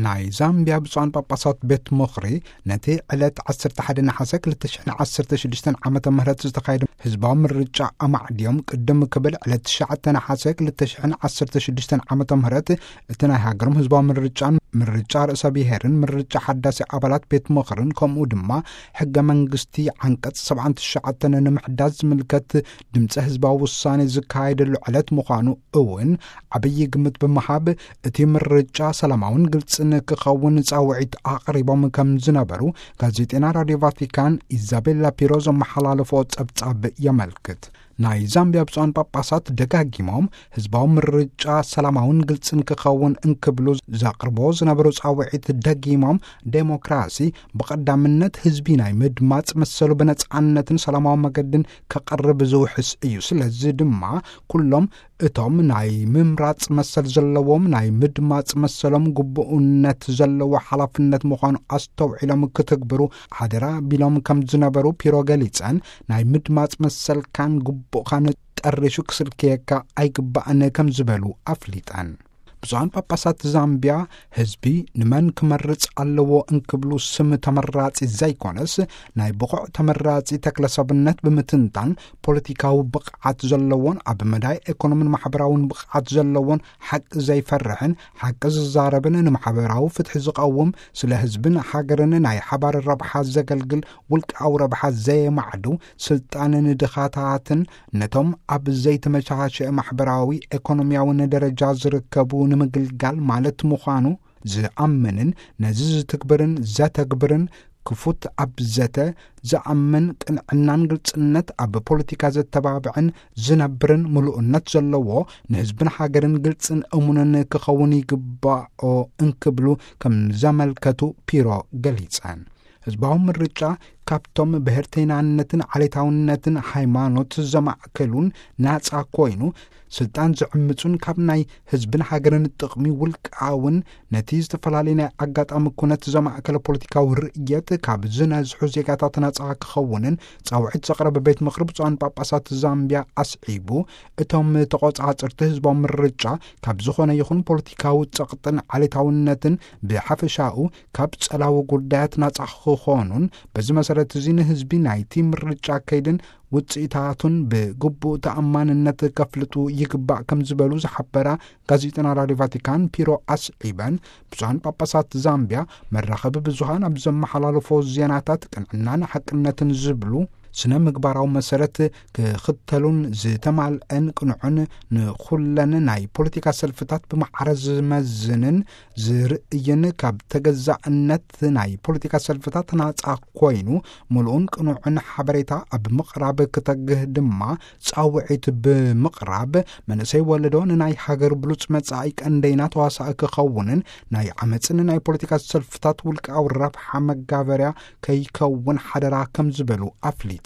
ናይ ዛምቢያ ብፁዓን ጳጳሳት ቤት ምኽሪ ነቲ ዕለት ዓሰርተ ሓደ ነሓሰ ክልተ ሽሕን ዓሰርተ ሽዱሽተን ዓመተ ምህረት ዝተኻየደ ህዝባዊ ምርጫ ኣማዕድዮም፣ ቅድም ክብል ዕለት ትሽዓተ ነሓሰ ክልተ ሽሕን ዓሰርተ ሽዱሽተን ዓመተ ምህረት እቲ ናይ ሃገሮም ህዝባዊ ምርጫን ምርጫ ርእሰ ብሔርን ምርጫ ሓዳሲ ኣባላት ቤት ምኽርን ከምኡ ድማ ሕገ መንግስቲ ዓንቀጽ ሰብዓን ትሽዓተን ንምሕዳስ ዝምልከት ድምፂ ህዝባዊ ውሳኔ ዝካየደሉ ዕለት ምዃኑ እውን ዓብዪ ግምት ብምሃብ፣ እቲ ምርጫ ሰላማውን ግልጽን ክኸውን ጻውዒት ኣቕሪቦም ከም ዝነበሩ ጋዜጠና ራድዮ ቫቲካን ኢዛቤላ ፒሮ ዘመሓላለፎ ጸብጻብ የመልክት። ናይ ዛምቢያ ብፁዓን ጳጳሳት ደጋጊሞም ህዝባዊ ምርጫ ሰላማውን ግልጽን ክኸውን እንክብሉ ዘቕርቦ ዝነበሩ ጻውዒት ደጊሞም፣ ዴሞክራሲ ብቐዳምነት ህዝቢ ናይ ምድማጽ መሰሉ ብነጻነትን ሰላማዊ መገድን ከቕርብ ዝውሕስ እዩ። ስለዚ ድማ ኩሎም እቶም ናይ ምምራጽ መሰል ዘለዎም ናይ ምድማጽ መሰሎም ግቡእነት ዘለዎ ሓላፍነት ምዃኑ ኣስተውዒሎም ክትግብሩ ሓደራ ቢሎም ከም ዝነበሩ ፒሮ ገሊጸን፣ ናይ ምድማጽ መሰልካን ግቡእካን ጠሪሹ ክስልክየካ ኣይግባእን ከም ዝበሉ ኣፍሊጠን። ብፁዓን ጳጳሳት ዛምቢያ ህዝቢ ንመን ክመርጽ ኣለዎ እንክብሉ ስም ተመራጺ ዘይኮነስ ናይ ብቑዕ ተመራጺ ተክለሰብነት ብምትንታን ፖለቲካዊ ብቕዓት ዘለዎን ኣብ መዳይ ኤኮኖምን ማሕበራውን ብቕዓት ዘለዎን ሓቂ ዘይፈርሕን ሓቂ ዝዛረብን ንማሕበራዊ ፍትሒ ዝቐውም ስለ ህዝብን ሃገርን ናይ ሓባር ረብሓ ዘገልግል ውልቃዊ ረብሓ ዘየማዕዱ ስልጣን ንድኻታትን ነቶም ኣብ ዘይተመቻቸ ማሕበራዊ ኤኮኖሚያውን ደረጃ ዝርከቡ ንምግልጋል ማለት ምዃኑ ዝኣምንን ነዚ ዝትግብርን ዘተግብርን ክፉት ኣብ ዘተ ዝኣምን ቅንዕናን ግልጽነት ኣብ ፖለቲካ ዘተባብዕን ዝነብርን ምሉእነት ዘለዎ ንህዝብን ሃገርን ግልጽን እሙንን ክኸውን ይግባኦ እንክብሉ ከም ዘመልከቱ ፒሮ ገሊጸን። ህዝባዊ ምርጫ ካብቶም ብሄርተይናነትን ዓሌታውነትን ሃይማኖት ዘማእከሉን ናጻ ኮይኑ ስልጣን ዝዕምጹን ካብ ናይ ህዝብን ሃገርን ጥቕሚ ውልቃውን ነቲ ዝተፈላለዩ ናይ ኣጋጣሚ ኩነት ዘማእከለ ፖለቲካዊ ርእየት ካብ ዝነዝሑ ዜጋታት ናጻ ክኸውንን ጻውዒት ዘቕረበ ቤት ምኽሪ ብፁዓን ጳጳሳት ዛምቢያ ኣስዒቡ፣ እቶም ተቖጻጽርቲ ህዝባዊ ምርጫ ካብ ዝኾነ ይኹን ፖለቲካዊ ጸቕጥን ዓሌታውነትን ብሓፈሻኡ ካብ ጸላዊ ጉዳያት ናጻ ክኾኑን በዚ መሰረት እዚ ንህዝቢ ናይቲ ምርጫ ከይድን ውጽኢታቱን ብግቡእ ተኣማንነት ከፍልጡ ይግባእ ከም ዝበሉ ዝሓበራ ጋዜጠና ራድዮ ቫቲካን ፒሮ ኣስዒበን፣ ብፁዓን ጳጳሳት ዛምቢያ መራኸቢ ብዙሃን ኣብ ዘመሓላለፎ ዜናታት ቅንዕናን ሓቅነትን ዝብሉ ስነ ምግባራዊ መሰረት ክኽተሉን ዝተማልአን ቅኑዕን ንኹለን ናይ ፖለቲካ ሰልፍታት ብማዕረ ዝመዝንን ዝርእይን ካብ ተገዛእነት ናይ ፖለቲካ ሰልፍታት ናጻ ኮይኑ ምሉእን ቅኑዕን ሓበሬታ ኣብ ምቕራብ ክተግህ ድማ ጻውዒት ብምቕራብ፣ መንእሰይ ወለዶ ንናይ ሃገር ብሉጽ መጻኢ ቀንደይና ተዋሳኢ ክኸውንን ናይ ዓመጽን ናይ ፖለቲካ ሰልፍታት ውልቃዊ ረብሓ መጋበርያ ከይከውን ሓደራ ከም ዝበሉ ኣፍሊጠን።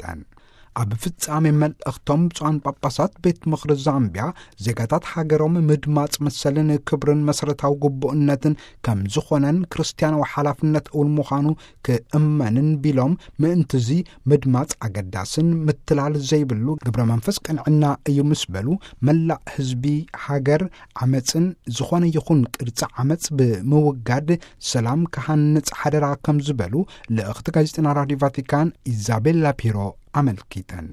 ኣብ ፍጻሜ መልእኽቶም ብፁዓን ጳጳሳት ቤት ምኽሪ ዛምቢያ ዜጋታት ሃገሮም ምድማጽ መሰልን ክብርን መሰረታዊ ግቡእነትን ከም ዝኾነን ክርስትያናዊ ሓላፍነት እውን ምዃኑ ክእመንን ቢሎም፣ ምእንትዚ ምድማጽ ኣገዳስን ምትላል ዘይብሉ ግብረ መንፈስ ቅንዕና እዩ ምስ በሉ፣ መላእ ህዝቢ ሃገር ዓመጽን ዝኾነ ይኹን ቅርጺ ዓመጽ ብምውጋድ ሰላም ክሃንጽ ሓደራ ከም ዝበሉ ልእኽቲ ጋዜጠና ራድዮ ቫቲካን ኢዛቤላ ፒሮ ኣመልኪተን።